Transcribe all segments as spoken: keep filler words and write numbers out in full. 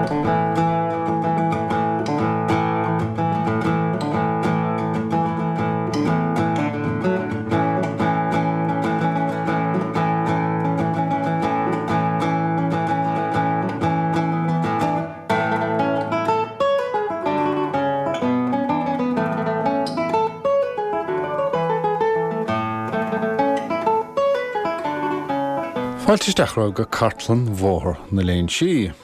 Fáilte isteach romhaibh go cartlann Bhóthar na Léinsí.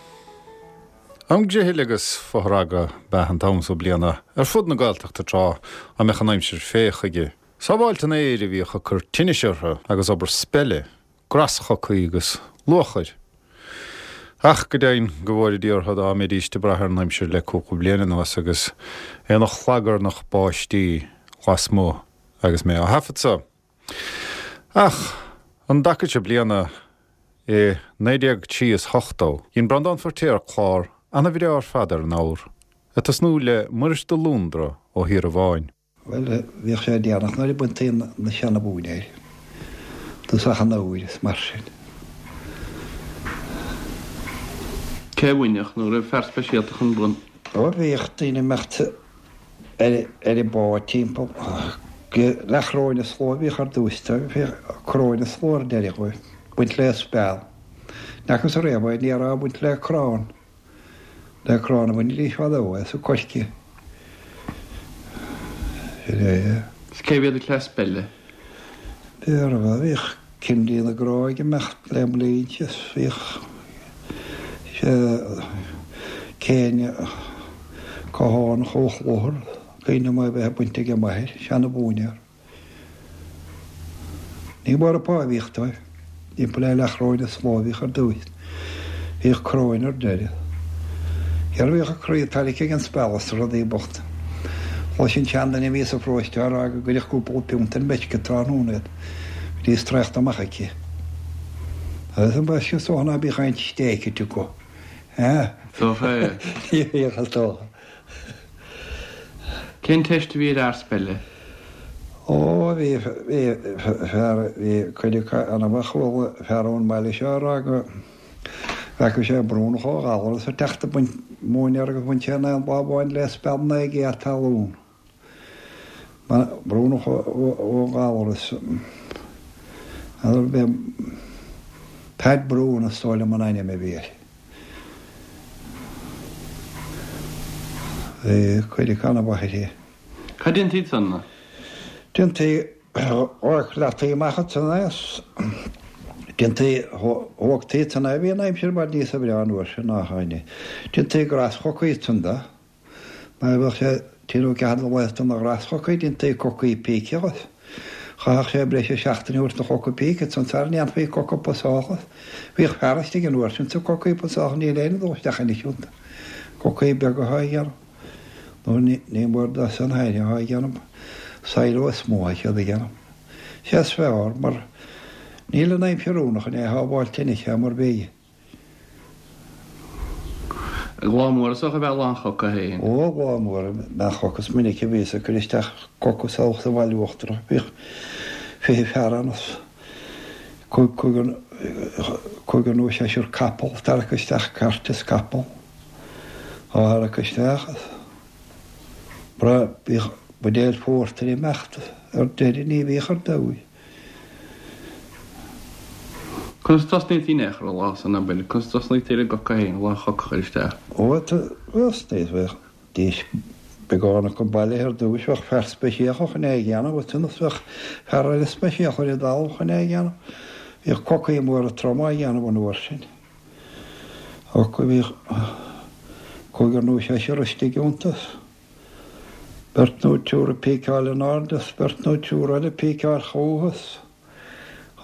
Am griothaill agus fothragadh ab ea an t-am so bliana ar fud na Gaeltachta tráth a mbeadh an aimsir fé chuige. Sábháilt an fhéir a bhíodh ag cur tinnis orthu agus obair speile, graschocaí agus luachair. Ach go deimhin go bhfóire Dia orthu dá mbeidís ag brath ar an aimsir le cúpla bliain anuas agus é ina chlagarnach báistí lasmuigh agus mé á thaifead so. Ach an dtaca seo bliana i naoi déag trí is ochtó, dhein Breandán Feirtéar clár ana-bhreá ar fad ar an ábhar, ag tosnú le Muiris de Lúndra ó Thír an Bháin. Bhuel, bhíodh sé déanach nuair a baintí na seana-mhóinéir, dtosach an fhómhair is mar sin. Cé a bhainfeadh, nó raibh fear speisialta chun bain? Ó, bhíodh daoine ag imeacht ar an bpá timpeall go leathchoróin an tslua a bhíodh ar dtús, bhíodh coróin an tslua ar deireadh dhóibh. Baint le speal. N'fhacthas ariamh é, ní raibh baint le crann. Le crann a bhainidís fadó é, sa coirce. Sin é. Is cé mhéad cleas speile? B'fhearr, bhíodh Cindy na Grá ag imeacht le mblianta is bhíodh sé Céin Cathánach ó Chlochar, cuimhin liom é bheith ag baint ag a máthair, seana-mhóinéar. Ní mór an pá a bhíodh dóibh. Timpeall le leathchoróin an tslua a bhíodh ar dtús. Bhíodh coróin ar deireadh. Céard a bhíodh ag croí tarraicthe ag an speal is na rudaí bochta. Chloisinn seanduine a bhí sa pharóiste á rá go gcuirfeadh cúpla piúnt ar meisce tráthnóna iad. Bhídís traochta amach aici. Agus an bhfeisce is dócha ná bíodh aon stéig acu. Dócha é. Ní bhíodh is dócha. Cén teist a bhí ar fhear speile? Ó, bhí, bhí fear, bhí cuid acu ana-mhaith, chuala fear ón mbaile seo ag rá go bhfeaca sé Brúnach ó Ghallaras ag teacht ag baint móinéar agus bhain sé in aon lá amháin le speal naoi gcéad talún. Brúnach ó Ghallaras. N'fheadar Peaid Brún is dóigh liom an ainm a bhí air. Bhí cuid acu ana-mhaith uirthi. Cad déantaí ansan? Déantaí chleachtaí amach ansan é is déantaí thógtaí ansan é. Bhí an aimsir i bhfad níosa bhreá an uair sin ná atá inniu. Déantaí graschocaí ansan de. Mar bheadh sé trí nó ceathair de laetha de na graschocaí, déantaí cocaí píce agus chaithfeadh sé breis is seachtain a thabhairt don choca píce ansan sara ndéanfaí coca pusach. Bhíodh fear istigh an uair sin sa cocaí pusach, níl éinne ag dul isteach anois iontu. Cocaí beaga atá a dhéanamh. Nó ní mór dó san féin atá a dhéanamh, silo is mó atá siad a dhéanamh. Sé is fearr, mar níl an aimsir oiriúnach chun é a shábháilt anois, é mar bhí. Lá mór is dócha a bheadh lá an choca féin. Ó, lá mór a bheadh an choca. Is minic a bhíos ag cur isteach coca salach sa bhaile uachtarach. Bhíodh fiche fear ann is cúigear, cúigear nó seisear capall, tarrac isteach cairt is capall. Á tharrac isteach is bra, bhíodh buidéal phórtair ag imeacht ar deireadh, ní bhíodh ar dóigh. Conas a tosnaítí in aon chor an lá san, abair, conas a tosnaítí ar an gcoca féin, lá an choca a chur isteach? Ó, thosnaítí, bheadh dís beagán acu bailithe ar dtúis, bheadh fear speisialta chun é a dhéanamh, ansin is bheadh fear eile speisialta ar an dtalamh chun é a dhéanamh. Bhíodh cocaí móra troma á dhéanamh an uair sin. Ach bhíodh cúigear nó seisear istigh iontu. Beirt nó triúr ag píceáil in airde is beirt nó triúr eile ag píceáil chucu is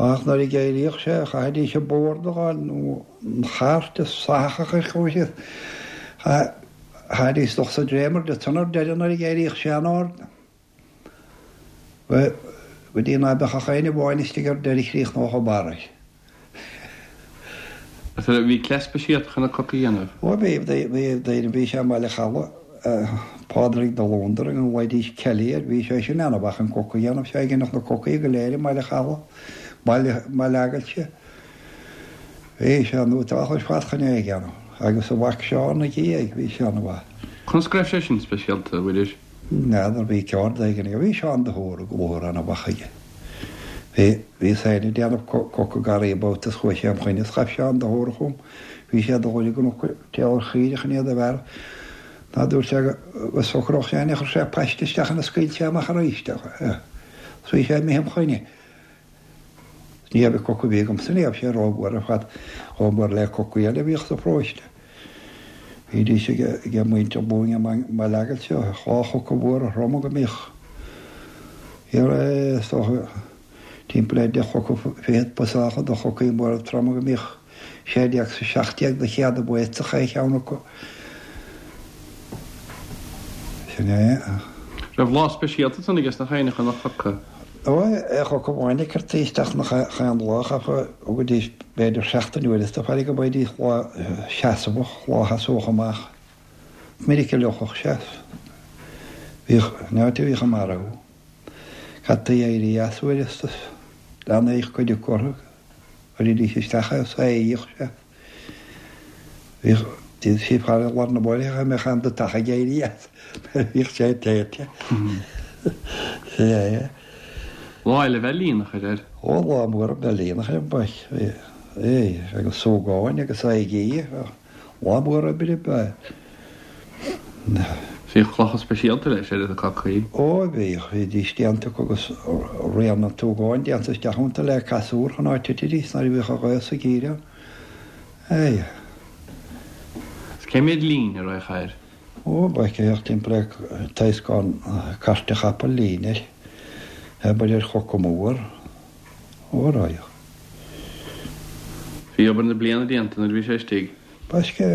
ach nuair a d'éiríodh sé chaithfidís an bord a fháil nó an chairt is sathach a chur chucu síos. Chaithfidís dul sa dréimire de san ar deireadh nuair a d'éiríodh sé in airde. Go dtí ná beadh ach éinne amháin istigh ar deireadh chríochnódh an barr air. Bhí cleas speisialta chun na cocaí a dhéanamh. Ó bhí, bhí daoine, bhí sé i mBaile Chalaidh, Pádraig de Lóndar, a nglaoidís Kelly air, bhí sé sin ana-mhaith chun coca a dhéanamh, sé a dheineadh na cocaí go léir i mBaile Chalaidh, Baile, Baile Aigilte. Bhí sé núiteach ar fad chun é a dhéanamh. Agus a mhac Seán ina dhiaidh, bhí sé ana-mhaith. Conas go raibh sé sin speisialta, a Mhuiris? N'fheadar, bhí ceard éigin aige. Bhí Seán de hÓra go bhóthar ana-mhaith aige. Bhí, bhíos féin ag déanamh coca garraí babhta is chuaigh sé im choinne is ghabh Seán de hÓra chugam. Bhí sé ag dul i gcnoc téal ar chaoirigh chun iad a bhearradh. Ná dúirt sé go socródh sé é, chuir sé paiste isteach ann is scaoil sé amach arís é. Is bhí sé imithe im choinne. Ní raibh coca a bhí agamsa, ní raibh sé rómhór ar fad, chomh mór le cocaí eile a bhíodh sa pharóiste. Bhídís ag muintir Luing i mBaile Aigilt, dhá choca mhóra throma go mbíodh is dócha timpeall le deich choca fichead pusácha de chocaí móra troma go mbíodh sé déag is a seacht déag de chéad a bhfuil sa cheann acu. Sin é. Raibh lá speisialta ansan aige sna chaon chun a choca? Ó, aon choca amháin a cuirtí isteach nach chaon lá, chaithfeá thugaidís b'fhéidir seachtain uaireanta faire go mbeidís lá seasamhach, lá sheasódh amach. Is minic a fhliuchadh sé. Bhíodh, an áit a bhíodh a marbhú. Caití éirí as uaireanta, leanaíodh cuid acu orthu, chuiridís isteach é, sáíodh sé. Bhíodh, d'fhéadfadh sé faire i lár na bóithre cha mbeadh aon dutach ag éirí as nuair a bhíodh sé téite. Sea, é. Lá eile bheith líonach air air. Ó, lá mór bheith líonach ar an bpáirc. É, agus súgáin agus aghaidh. Lá mór oibre ab ea é. Bhíodh clocha speisialta leis ar na cocaí. Ó, bhíodh. Bhídís déanta acu agus rian an tsúgáin déanta isteach iontu le casúr chun áit titidís nuair a bhíodh an ghaoth sa gcíreán. É. Is cé mhéad lín a raghadh air? Ó, bheadh bheadh timpeall le taoscán cairt chapaill lín air. Abair ar choca mór. Ó, raghadh. Bhí obair na bliana déanta nuair a bhí sé istigh. Baisce,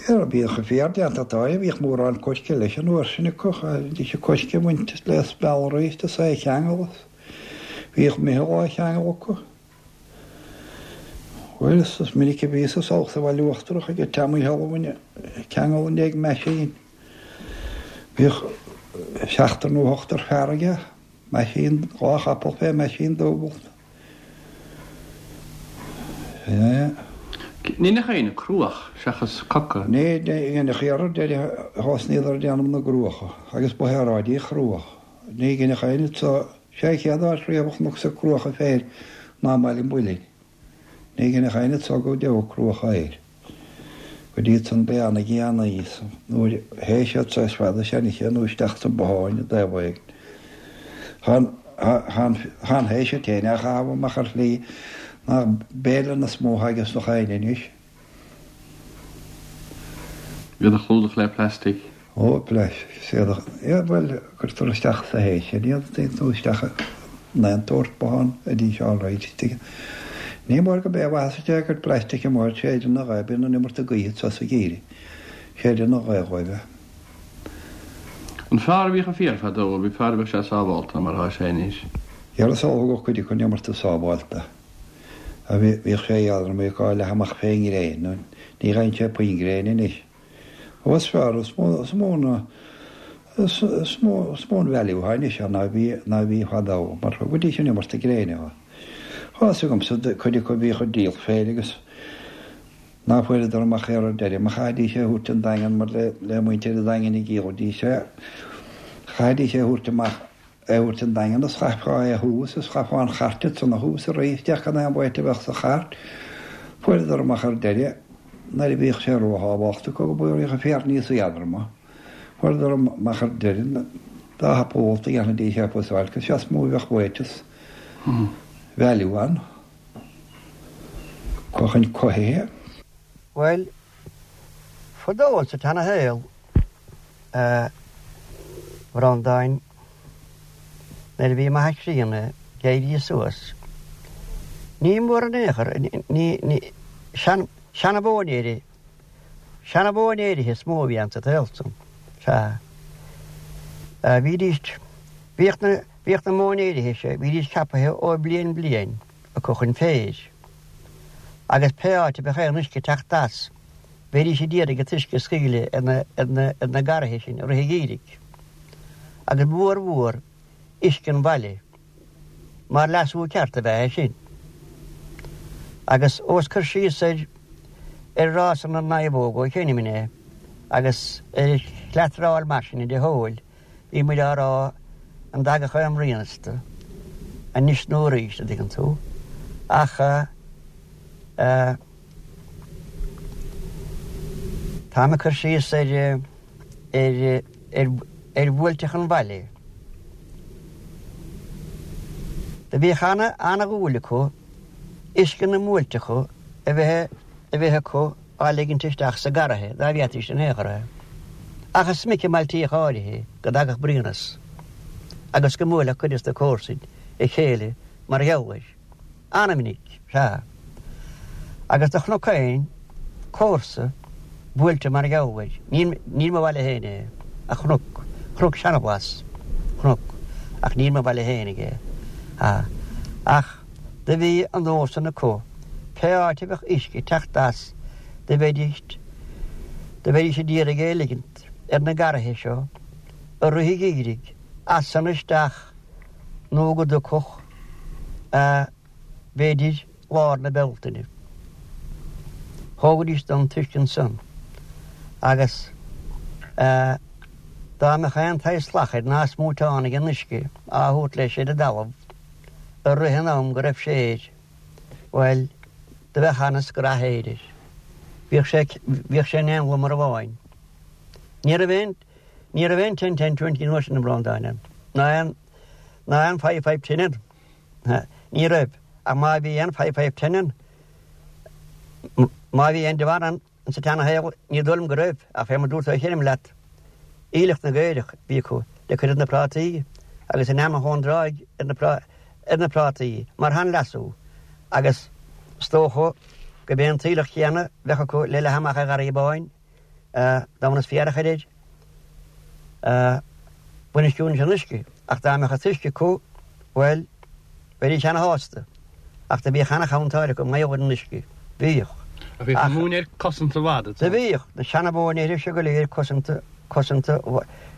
ar bhíodh a féar déanta atá, bhíodh mórán coirce leis an uair sin acu, bhí sé coirce bainte le spealraí is é a cheangal. Bhíodh meitheal á cheangal acu. Bhuel, is minic a bhíos thall sa Bhaile Uachtarach ag Teamaí Thalmhain ceangal i ndiaidh meaisín. Bhíodh seachtar nó ochtar fear aige, meaisín, dhá chapall fé meaisín dúbailt. Sea. Ní nach éinne cruach seachas coca? Ní dhéanfadh iarraidh deireadh thosnaíodar ag déanamh na gcruacha agus ba shaoráidí chruach. Ní dhéanfadh éinne so sé chéad áit riamh a chonac sa cruacha féin ná i mBaile an Mhuilinn. Ní dhéanfadh éinne so go deo cruacha air. Go dtí san beanna gheanaí nuair théis siad sa fada seanchaithe nó isteach sa botháin i dtaobh éigin. Chan chan théis siad féin a chaitheamh amach ar shlí nach béile na smó agus na chaine anois. Iad a chlúdach le plastic. Ó, plastic. Séadach. Ia, bhuel, cuirtear isteach sa théis sin iad, nó isteach in aon tsórt bothán a dtí all right. Ní mór go b'é a mhaitheas a cuid plaistice mór séideann na ghaoth, bíonn an iomarca gaoithe sa sa gheimhreadh. Séideann na ghaoth dhóibh. An fearr a bhíodh an féar fadó, bhí fearr a bheadh sé sábhálta mar atá sé anois. Dhera is dócha go cuid acu an iomarca sábhálta. A bhí bhíodh sé éadrom, bhíodh á leath amach fén ngréin, nó ní gheibheann sé puinn gréine anois. Ó is fearr, is mó is mó na is is mó is mó an value atá anois ann ná bhí ná bhí fadó, mar go dtí sin iomarca gréine ann. Tá fhios agamsa cuid acu a bhíodh ag díol féir agus ná fuaireadar amach ar deireadh, má chaithfidís é a thabhairt an Daingean mar le le muintir an Daingin ag díolaidís é, chaithfidís é a thabhairt amach é a thabhairt an Daingean is chaithfeá é a thomhas is chaithfeá an chairt ansan a thomhas arís isteach gan aon bhaint a bheadh sa chairt. Fuaireadar amach ar deireadh nuair a bhíodh sé róthábhachtach go bhfuair an féar níos éadroma. Fuaireadar amach ar deireadh dá thapúlacht a dhéanfaidís é fusáil, cos is mó a bheadh bhaint value ann. Chun cothaithe. Bhuel, fadó sa tseana-shaol, a Bhreandáin, nuair a bhí m'athair críonna ag éirí suas, ní mór in aon chor, ní, ní, sean, seana-mhóinéirí, seana-mhóinéirithe is mó a bhí ann sa tsaol san. Sea. Bhídís, bhíodh na, bhíodh na móinéirithe seo, bhídís ceapaithe ó bhliain bliain acu chun féir. Agus pé áit a bheadh aon uisce ag teacht as, bheidís ag iarraidh an t-uisce a scaoileadh ar na, ar na, ar na garraithe sin i rith an gheimhridh. Agus mhór mhór uisce an bhaile, mar leasú ceart ab ea é sin. Agus ós cur síos ar, ar rása na naomhóg ó chinim é agus ar chleatráil mar sin de shóil bhí muid á rá an dtagadh aon bhruíonas de anois nó arís a dtuigeann tú ach táim ag cur síos ar ar ar ar bhuailteach an bhaile. Do bhíodh ana ana-dhúil acu uisce na mbuailteacha a bheith a bheith acu á ligint isteach sa garraithe dá bhféadfaidís in aon chor é. Ach is minic i mbailtíocha áirithe go dtagadh bruíonas agus go mbuailfeadh cuid de na comharsain a chéile mar gheall air. Ana-mhinic, sea. Agus do chonac féin comharsa buailte mar gheall air. Ní ní mo bhaile féin é, ach chonac, chonac Seanabhlas, chonac, ach ní mo bhaile féinig é. Sea. Ach do bhí an nós san acu, pé áit a bheadh uisce ag teacht as, do bheidís, do bheidís a d'iarraidh é a ligint ar na garraithe seo i rith an gheimhridh, as san isteach nó go dtiocfadh, b'fhéidir, lár na Bealtaine. Thógaidís don t-uisce ansan agus dá mbeadh aon tsaghas slachair ná smúiteán ag an uisce á thabhairt leis ar an dtalamh i rith an am go raibh sé air, bhuel, do bheadh ana-scraith fhéir air. Bhíodh sé, bhíodh sé in aon lomar amháin. Ní raibh aon, ní raibh aon ten ten twenty an uair sin, a Bhreandáin, ann, ná aon, ná aon five five ten ann. Ní raibh, ach má bhí aon five five ten ann, má bhí aon de bharr ann sa tseana-shaol, ní dóigh liom go raibh, ach fé mar dúirt ó chinim leat, aoileach na gcaorach a bhí acu le cur ar na prátaí agus in ainm ón dtráigh ar na ar na prátaí mar sheanleasú agus is dócha go b'é an t-aoileach céanna bheadh acu le leathadh amach ar gharraí báin dá mbaineas féar a chur air. Bainistiú an uisce ach dá mbeadh an t-uisce acu, bhuel, bheidís ana-shásta. Ach do bhíodh ana-chantáil acu mar gheall ar an uisce. Bhíodh. Ach bhíodh na móinéir cosanta i bhfad, Do bhíodh. Na seana-mhóinéir seo go léir cosanta, cosanta.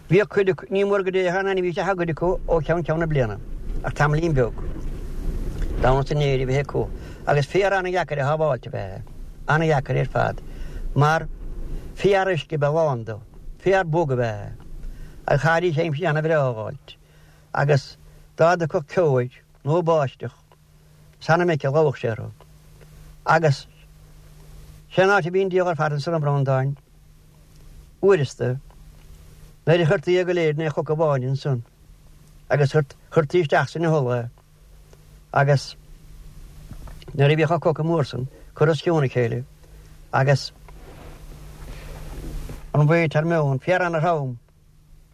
Bhíodh cuid acu, ní mór go dtéadh aon ainmhí isteach i gcuid acu ó cheann ceann na bliana, ach tamaillín beag. Damhnas an fhéir a bheith acu. Agus féar ana-dheacair a shábháilt ab ea é. Ana-dheacair ar fad. Mar féar uisce ab ea a lán dó. Féar bog ab ea é. Agus chaithfidís aimsir ana-bhreá a dh'fháilt. Agus dá dtiocfadh ceo air, nó báisteach, is ana-mhinic a lobhadh sé orthu. Agus sé an áit a bhí an diabhal ar fad ansan, a Bhreandáin, uaireasta, nuair a chuirtí é go léir in aon choca amháin ansan, agus chuirtí isteach san hiolar é, agus nuair a bhíodh an coca mór san curtha os cionn a chéile, agus an mhéid thar meon, féar ana-throm,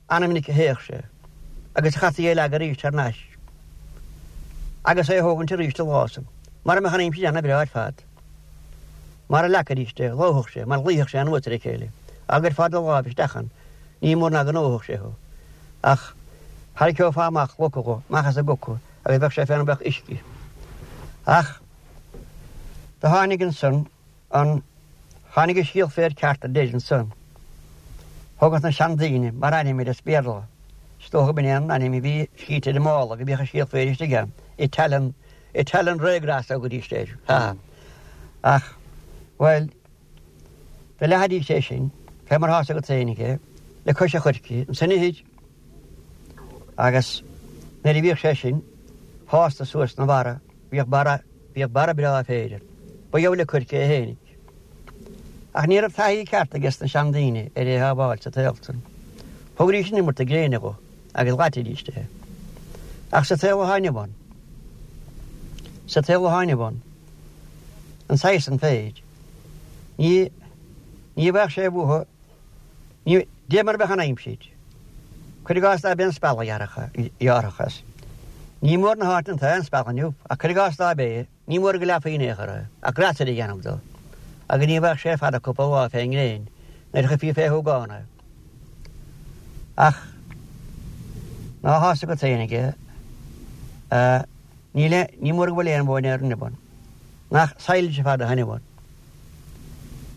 Ana-mhinic a théadh sé agus chaithfí é a leagadh arís thar n-ais agus é a thógaint arís an lá san, mara mbeadh an aimsir ana-bhreá ar fad. Mara leagfaidís é, lobhfadh sé, mar luífeadh sé anuas ar a chéile. Dá gcuirfeá do láimh isteach ann, ní mór ná go ndófadh sé thú. Ach tharraiceofá amach loca dho, amach as an gcoca, agus bheadh sé fé mar bheadh uisce. Ach do tháinig ansan an, tháinig an síol féir ceart ar deireadh ansan. Thugadh na seandaoine mar ainm air as Béarla. Is dócha go b'in é an ainm a bhí scríte ar an mála go mbíodh an síol féir istigh ann, Italian, Italian rye grass a thugaidís air. Ha. Ach, bhuel, do leathaidís é sin, fé mar thá's agat féinig é, le cois an choirce, ansan ithir. Agus nuair a bhíodh sé sin fásta suas 'na bharra, bhíodh barra, bhíodh barra breá féir ann. Ba gheall le coirce é fhéinig. Ach ní raibh taithí ceart ages na seandaoine ar é shábháilt sa tsaol san. Thugaidís an iomarta gréine dho agus dhaitidís é. Ach sa tsaol atá inniu ann, sa tsaol atá inniu ann, an saghas san féir, ní, ní bheadh sé uathu, ní, dé mar a bheadh an aimsir. Cuir i gcás dá b'é an speal a ghearrfadh as. Ní mór na háiteanna atá aon speal inniu, ach cuir i gcás dá b'é, Ní mór go leathfaí in aon chor é, ach greasaire a dhéanamh dó, agus ní bheadh sé fada cúpla lá fén ngréin nuair a chuirfí fé shúgán é. Ach ná thá's agat féinig é, níl aon, ní mór go bhfuil aon mhóinéar inniu ann. Nach silage ar fad atá inniu ann.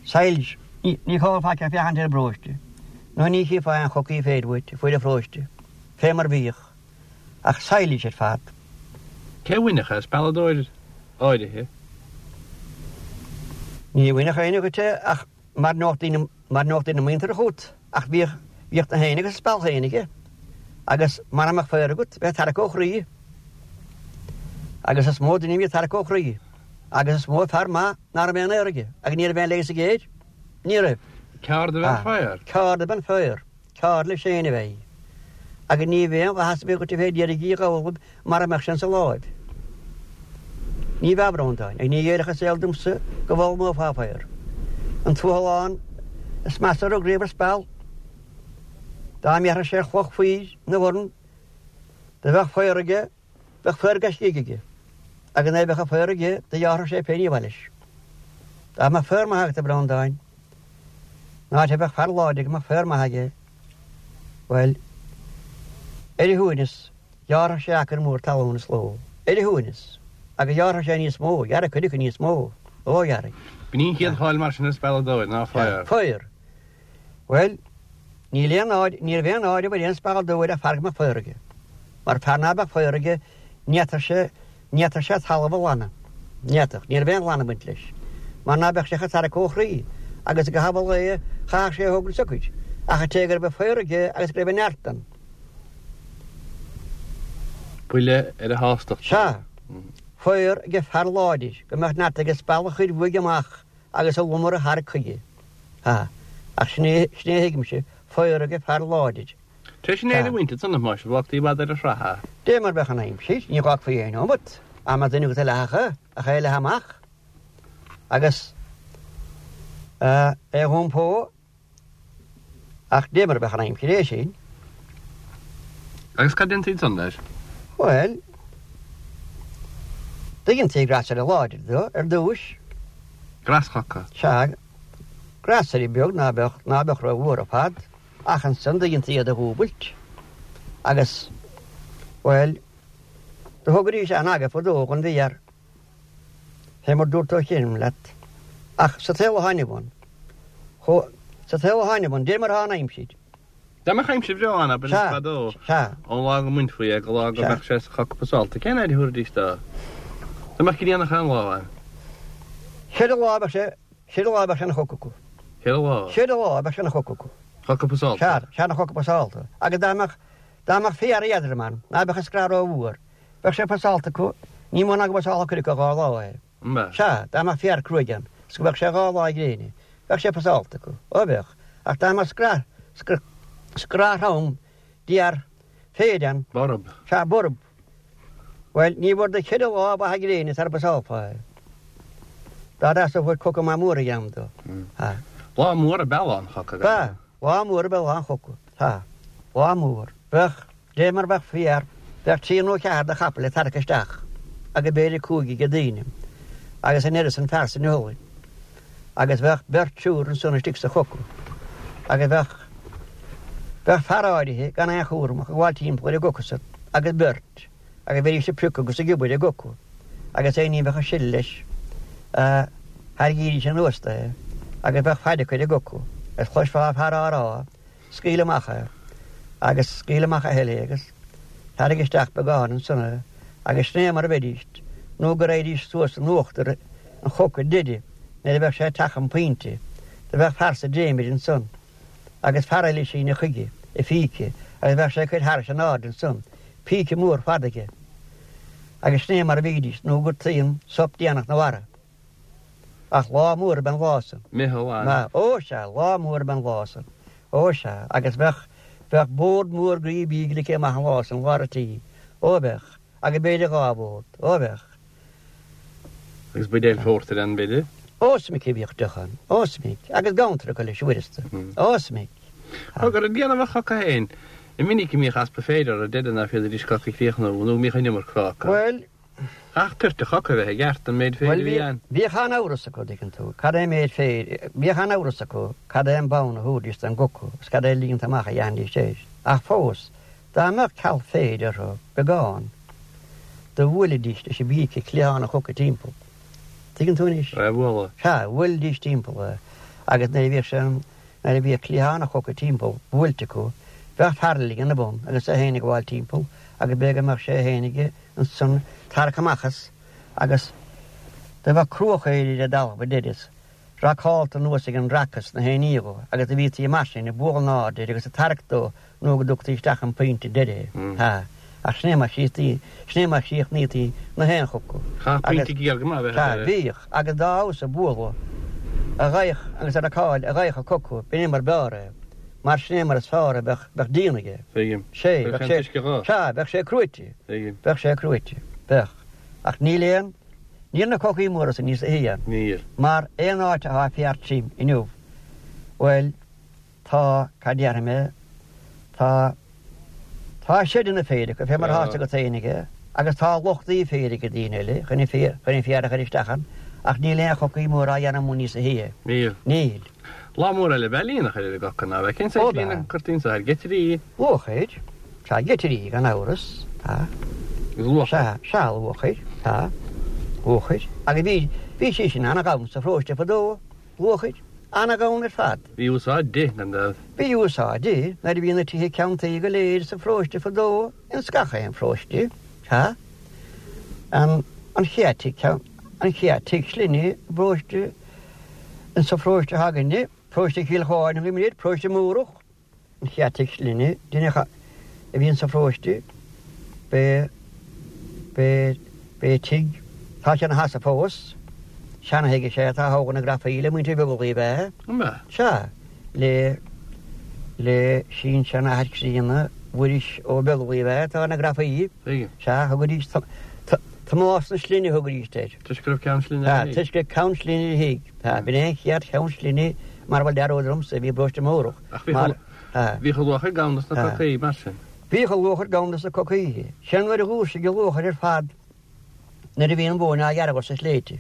Silage. Ní chóir faic ach féachaint ar an bparóiste, nó ní chífeá aon chocaí féir uait a fuair an pharóiste, fé mar bhíodh. Ach silage ar fad. Cé a bhainfeadh as spealadóir áirithe? Ní bhainfeadh éinne dhuit é ach mar nach daoine mar nach daoine muinteartha chút ach bhíodh bhíodh na héin agus speal féin aige agus mara mbeadh féar agat bheadh tarrac ó chroí agus is mó duine a bhí ag tarrac ó chroí agus is mó fear maith ná raibh aon fhéar aige agus ní raibh aon leigheas aige air. Ní raibh. Ceard ab ea an féar? Ceard ab ea an féar. Ceard leis féin ab ea í. Agus ní bheadh aon mhaitheas ar bith dhuit a bheith ag iarraidh í a ghabháil mara mbeadh sé insa láimh. Ní bheadh, a Bhreandáin, ach ní ghéillfeadh an saol domsa go bhfoghlaimeofá féar. An tuathalán is measa a rug riamh ar speal. Dá mbéarfadh sé ar chloch faoir ina dhorn, dá mbeadh féar aige, bheadh féar gaiscígh aige, agus nuair a bheadh an féar aige, do ghearrfadh sé pé ní ba mhaith leis. Dá mbeadh féar maith agat, a Bhreandáin, an áit a bheadh fear láidir go mbeadh féar maith aige, bhuel, ar a shuaimhneas, ghearrfadh sé acre mór talún sa ló, ar a shuaimhneas, agus ghearrfadh sé níos mó, ghearrfadh cuid acu níos mó, ó ghearrfadh. B'in í an chéad cháil mar sin ar spealadóir, ná féar. Féar. Bhuel, níl aon náire, ní raibh aon náire ar aon spealadóir ach fear go mbeadh féar aige. Mar fear ná beadh féar aige, ní fhéadfadh sé, ní fhéadfadh sé talamh a ghlanadh. Ní fhéadfadh, ní raibh aon ghlanadh ag baint leis. Mar ná beadh sé ach ag tarrac ó chroí, agus i gcaitheamh an lae, chaithfeadh sé a thógaint socair. Ach an té go raibh féar aige agus go raibh an neart ann. Buille ar a shástacht. Sea. Féar age fear láidir, go mbeadh neart aige speal a chur uaidh amach agus an lomar a tharrac chuige. Sea. Ach sin é, sin é a thuigimse, féar age fear láidir. Tar éis an fhéir a bhaint ansan, más ea, bhfágtaí i bhfad ar an sraith é. Dé mar bheadh an aimsir, ní dh'fhágfaí aon neomat, dá mbeadh duine agat a leathfadh ach é a leathadh amach agus é a dh'iompó. Ach dé mar bheadh an aimsir é sin. Agus cad dhéantaí ansan leis? Bhuel, do dhéantaí greasaire láidir dó ar dtúis. Greaschoca? Sea, greasaire beag ná beadh, ná beadh ró-mhór ar fad, ach ansan do dhéantaí iad a dhúbailt. Agus, bhuel, do thugaidís an-aga fadó dhon bhféar, fé mar dúrt ó chianaibh leat. Ach sa tsaol atá inniu ann, chomh, sa tsaol atá inniu ann, dé mar atá an aimsir. Dá mbeadh aimsir bhreá ann, abair, Sea, fadó, sea. ón lá go mbainfí é go lá go Sea. mbeadh sé sa choca pasáilte, cén fhaid a thabharfaidís dó? Dá mbeadh grian achan lá ann. Ceithre lá a bheadh sé, ceithre lá a bheadh sé ina choca acu. Ceithre lá? Ceithre lá a bheadh sé ina choca acu. Coca pasáilte? Sea, sea, ina choca pasáilte. Agus dá mbeadh, dá mbeadh féar éadrom ann, ná beadh an scraith rómhór, bheadh sé pasáilte acu, ní mó ná go bpasálfadh cuid acu dhá lá é. An mbeadh? Sea, dá mbeadh féar cruaidh ann, is go mbeadh sé dhá lá gréine, bheadh sé pasáilte acu. Ó bheadh. Ach dá mbeadh scraith, scraith throm d'fhéar féir ann. Borb. Sea, borb. Bhuel, ní bhfuair do cheithre lá mhaithe gréine sara bpasálfá é. Dá dteastódh fuair coca maith mór a dhéanamh dó. Sea. Lá mór ab ea lá an choca, Ba, lá mór ab ea lá an choca. Sea. Lá mór. Bheadh, dé mar bheadh féar, bheadh trí nó ceathair de chapaill ag tarrac isteach agus b'fhéidir cúig age daoine agus an oiread san fear san iothalainn. Agus bheadh beirt triúr ansan istigh sa choca agus bheadh, bheadh fear áirithe gan aon chúram ach ag gabháil timpeall ar an gcoca san agus beirt agus bheidís ag priocadh agus ag obair ar an gcoca agus aon ní a bheadh ag sileadh leis tharraingídís anuas dó é agus bheadh faid acu ar an gcoca agus chloisfeá fear á rá, scaoil amach é agus scaoil amach a thuilleadh é agus tarraing isteach beagán ansan é agus sin é mar a bheidís nó go raghaidís suas in uachtar an choca deiridh nuair a bheadh sé ag teacht chun pointe. Do bheadh fear sa dréimire ansan agus fear eile ag síneadh chuige a phíce agus bheadh sé ag cur thairis in airde ansan, píce mór fada aige. Agus sin é mar a bhídís nó gur taom sop déanach na mhara. Ach lá mór ab ea an lá san. Meitheal ann. Má, ó sea, lá mór ab ea an lá san. Ó sea, agus bheadh, bheadh bord mór groí bídh ligthe amach an lá san, lár an tí. Ó bheadh. Agus b'fhéidir dhá bhord. Ó bheadh. Agus buidéal phórtair ann, b'fhéidir? Ó is minic a bhíodh deoch ann. Ó is minic. Agus gabhantar acu leis, uaireanta. Ó is minic. Cogar, ag déanamh an choca féin, an minic a mbíodh easpa féir orthu, deireadh ná féadaidís coca a chríochnú, nó go mbíodh an iomarca fágtha. Bhuel. Ach toirt an choca a bheith i gceart, an méid féir Bhuel, a bhí bhí, ann. bhíodh an-amhras acu, dtuigeann tú, cad é an méid féir, bhíodh an-amhras acu cad é an bonn a thabharfaidís don gcoca agus cad é an líonta amach a dhéanfaidís air. Ach fós, dá mbeadh ceal féir orthu, beagán, do bhuailidís leis an bpíce cliathán an choca timpeall. Tuigeann tú anois? É a bhualadh. Sea, bhuailidís timpeall é agus nuair a bhíodh sé, nuair a bhíodh cliathán an choca timpeall buailte acu, bheadh fear eile ina bun agus é féin ag gabháil timpeall agus b'fhéidir go mbeadh sé féin aige ansan tarrac amach as agus do bheadh cruach air ar an dtalamh a deireadh Racálta anuas ag an raca sna haon ní dhó agus do bhítí mar sin ag bualadh in airde air agus ag tarrac dó nó go dtugtaí isteach an pointe deiridh é. Tá. Ach sin é mar chríochnaítí, sin é mar chríochnaítí na haon choca. Chaithfeadh pointe géar go maith a bheith Sea, air. bhíodh, agus dá fheabhas a bualadh a ghaoth agus a racáil a ghaoth an coca, b'in é mar b'fhearr é, mar sin é mar is fearr a bheadh, bheadh díon aige. Tuigim. Sé, Bheadh bheadh sé sé, an t-uisce dhó. sea, bheadh sé cruaite. Tuigim. Bheadh sé cruaite. Bheadh. Ach níl aon, níl na cocaí móra san níos a shia. Níl. Mar aon áit atá féar tirim inniu, bhuel, tá, cad déarfaidh mé, tá, tá seideanna féir acu, fé mar atá agat féin aige, agus tá lochtaí féir ag daoine eile chun an féar, chun an féar a chur isteach ann, ach níl aon chocaí mór á dhéanamh amuigh níos a shia. Níl. Níl. Lá mór eile ab ea líon a chur ar an gcoca, ná bheith. Cén Ó, saghas líon a b'ea. cuirtí anso air? Geitirí? Luachair. Sea, geitirí, gan amhras. Tá. Agus luachair. Sea, sea, luachair. Tá. Luachair. Agus bhí, bhí sí sin ana-ghann sa pharóiste fadó. Luachair. Ana-ghann ar fad. Bhí úsáid di, gan dabht. Bhí úsáid di nuair a bhí na tithe ceann tuí go léir sa pharóiste fadó, ins gach aon pharóiste. Sea. An, an chéad tigh ceann, an chéad tigh slinne i bparóiste, insa pharóiste s'againne, Paróiste Chill Choirín a thugaimid air, Paróiste Múrach, an chéad tigh slinne, duine a bhí insa pharóiste, b'é, b'é, b'é tigh, tá sé ina sheasamh fós, seana-thigh is ea é atá thogha na Grafaí le muintir Bheaglaoich ab ea? An ea? Sea, le, le sin-seanathair críonna Mhuiris Ó Beaglaoich ab ea atá ar na Grafaí. Tuigim. Sea, thugaidís Tomás na Slinne a thugaidís air. Toisc go raibh ceann slinne ar a Sea, toisc go raibh ceann slinne ar a thigh. Sea, b'in é an chéad cheann slinne mara bhfuil dearúd ormsa a bhí i bparóiste Múrach. Ach bhíodh bhíodh an luachair gann dos na cocaí mar sin. Bhíodh an luachair gann dos na cocaí. Sin nuair a dhúisigh an luachair ar fad nuair a bhí an mhóin á gearradh sna sléibhte.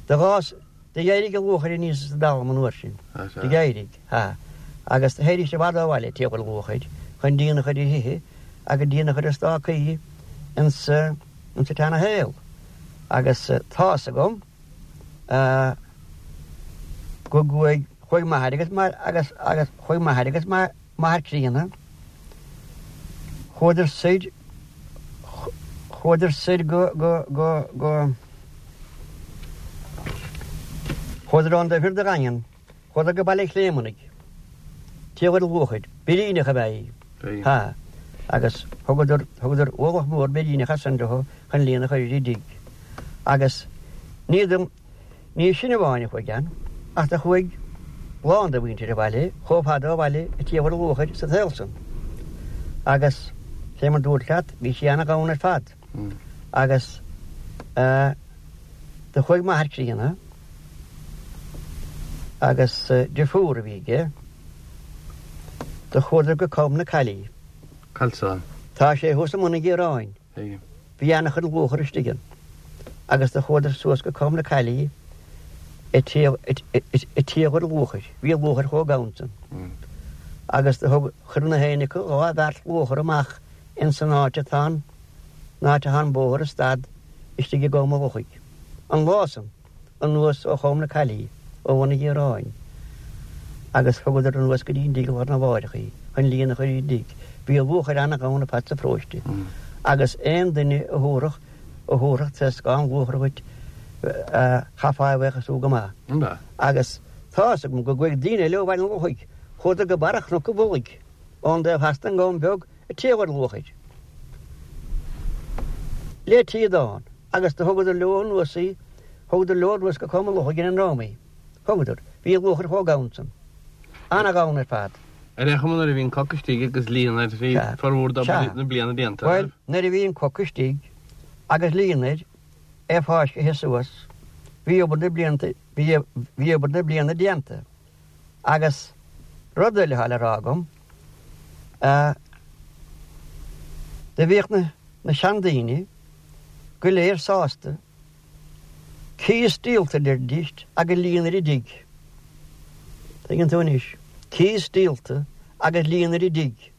Do dh'fhás, do d'éirigh an luachair aníos as an dtalamh an uair sin. Do d'éirigh, sea. Agus do théidís i bhfad ó bhaile ag tíocht ar luachair chun díon a chur ar thithe agus díon a chur ar stácaí insa insa tseana-shaol. Agus tá's agam go gcuaigh, chuaigh m'athair agus agus agus chuaigh m'athair agus m'athair críonna, chuadar soir, chuadar soir go, go, go, go, chuadar ón dtaobh thiar de Dhaingean. Chuadar go Baile Chléimeannaigh, tíocht ar luachair, biríneach ab ea í. Ha, agus thugadar, thugadar ualach mór biríneach as san leo chun líon a chur ar an dtigh. Agus ní dom, ní sin amháin a chuaigh ann, ach do chuaigh lán de mhuintir an bhaile chomh fada ó bhaile ag tíocht ar luachair sa tsaol san. Agus fé mar dúrt leat, bhí sí ana-ghann ar fad. Agus eh, do chuaigh m'athair críonna, Agus deirfiúr a bhí aige, do chuadar go Com na Caillí. Calsán. Tá sé thuas i mBun an Ghiaráin. Bhí ana-chuid luachair istigh ann. Agus do chuadar suas go Com na Caillí ag tíocht ar luachair. Bhí an luachair chomh gann san. Agus do thug, chuir na héinne acu dhá bheart luachair amach ins an áit atá an, an áit atá an bóthar ag stad istigh i gCom an Lochaigh. An lá san. anuas ó Chom na Caillí, ó Bhun an Ghiaráin, agus thugadar anuas go dtí an dtigh lá arna mháireach í, chun líon a chur ar an dtigh. Bhí an luachair ana-ghann ar fad sa pharóiste, agus aon duine a thabharfadh, a thabharfadh troscán luachair dhuit, chaithfeá é a bhuíochasú go maith. Agus tá fhios agam go gcuaigh daoine eile ó Bhaile an Lochaigh, chuadar go barra Chnoc an Mhullaigh, ón dtaobh theas den gCom Beag, ag tíocht ar luachair. Le tíodán, agus do thugadar leo anuas í, Thugadar leo anuas go Com an Lochaigh ar an ndrom í. Thugadar. Bhí an luachair chomh gann san. Ana-ghann ar fad. Ar aon chuma nuair a bhí an coca istigh agus líon air bhí Sea. formhór d'obair Sea. na bliana déanta, Bhuel, raibh? nuair a bhí an coca istigh agus líon air, é fáiscthe suas, bhí obair na blianta, bhí, bhí obair na bliana déanta. Agus rud eile atá le rá agam, eh, do bhíodh na, na seandaoine go léir sásta, Cíos díolta a deiridís agus líon ar an dtigh. Tuigeann tú anois. Cíos díolta agus líon ar an dtigh.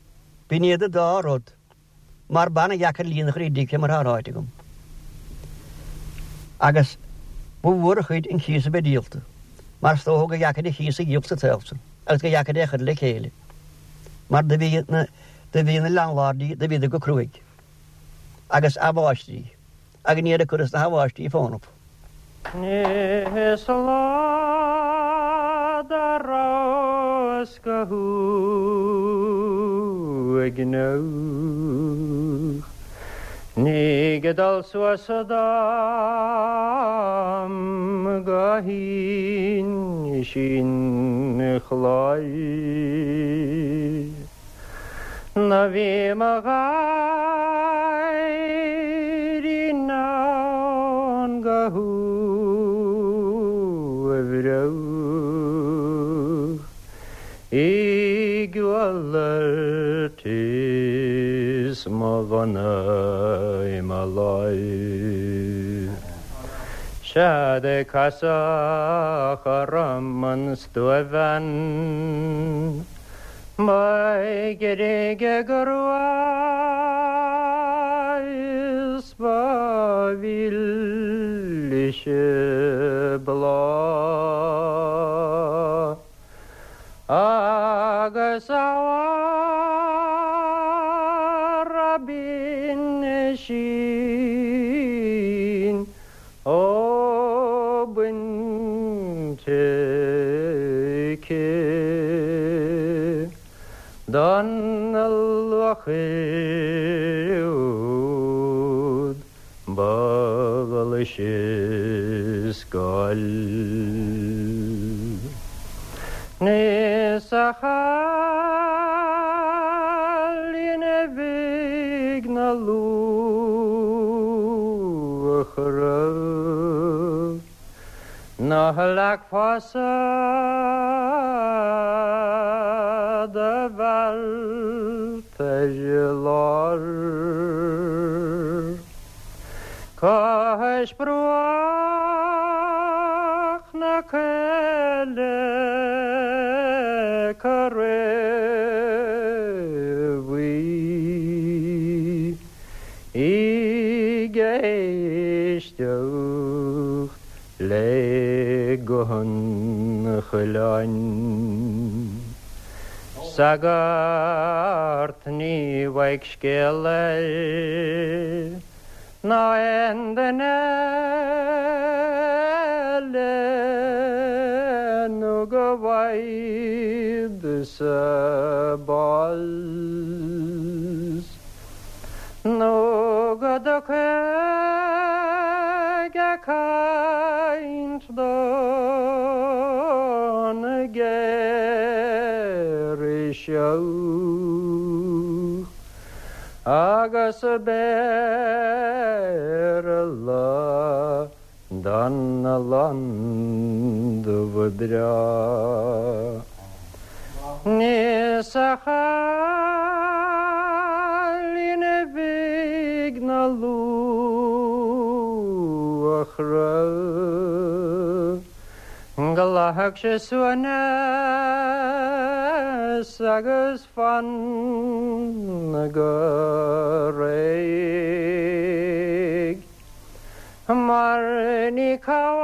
B'in iad an dá rud. Mar b'ana-dheacair líon a chur ar an dtigh fé mar atá ráite agam. Agus ba mhór an chuid an cíos a bheith díolta. Mar is dócha gur dheacair an cíos a dhíol sa tsaol san agus gur dheacair é a chur le chéile. Mar do bhí na, do bhí na landlordí, do bhíodar go cruaidh. Agus a' mháistrí. Agus ní raibh ag cur as na h-abháistí fónamh. Is lá dá rabhas go huaigneach Ní ag dul suas dom go hInis an Chláir Nó bhí mo gháirín ann go huaibhreach I gcodladh is mo mhna i mo láimh. Sea do casadh orm an stuabhean Ba ghirge go rua is ba mhilse bláth Agus a mháire binn sin ó bainte aici Don luachair úd ba ghlaise scoil. Is a chailín bhig na luachra Ná leagfása do bheilt ar lár Cois bruach na coille Corraí Bhuí ag éisteacht le guth an choileáin. Sagart ní bhfaigh scéal air ná aon duine eile nó go bhfaighid-sa bás nó go dtiocfaidh ag caint don ghirseach agus Béarla don londubh breá. Is a chailín bhig na luachra Glac sé suaimhneas agus fan go réidh Mar ní call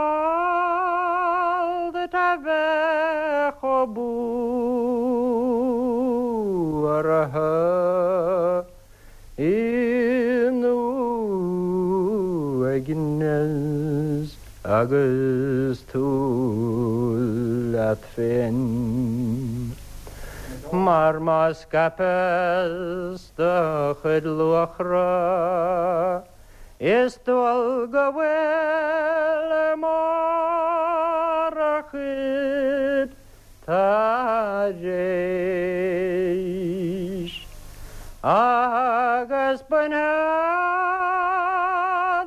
duit a bheith chomh buartha In uaigneas agus tú leat féin Mar má scaipeas do chuid luachra Is dual go bhfuil ar mbarr a chuid tar éis Agus bainfead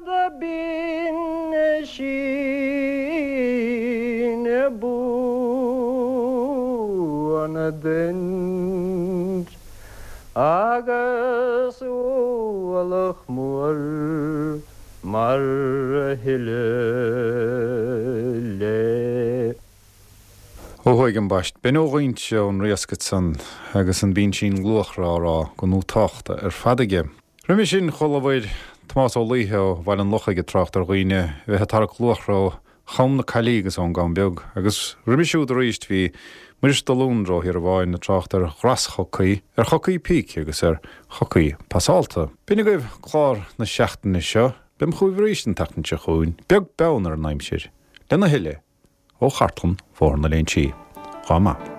do phinsean buan duit Agus ualach mór mar thuilleadh léi. Ó thuaidh ambaist, b'in ó Dhuinnse ón Riasc ansan agus an bpinsean luachra á rá go nútáchta ar fad aige. Roimhe sin chualabhair Tomás Ó Laoithe ó Bhaile an Lochaigh ag trácht ar dhaoine a bheith ag tarrac luachra ó Cham na Caillí agus ón gCam Beag, agus roimhe siúd arís bhí Muiris de Lúndra ó Thír an Bháin ag trácht ar dhreaschocaí, ar chocaí píce agus ar chocaí pasálta. B'in agaibh clár na seachtaine seo. Beam chugaibh arís an tseachtain seo chugainn, beag beann ar an aimsir, lena thuilleadh ó chartlann Bhóthar na Léinsí. Dhá mhaith.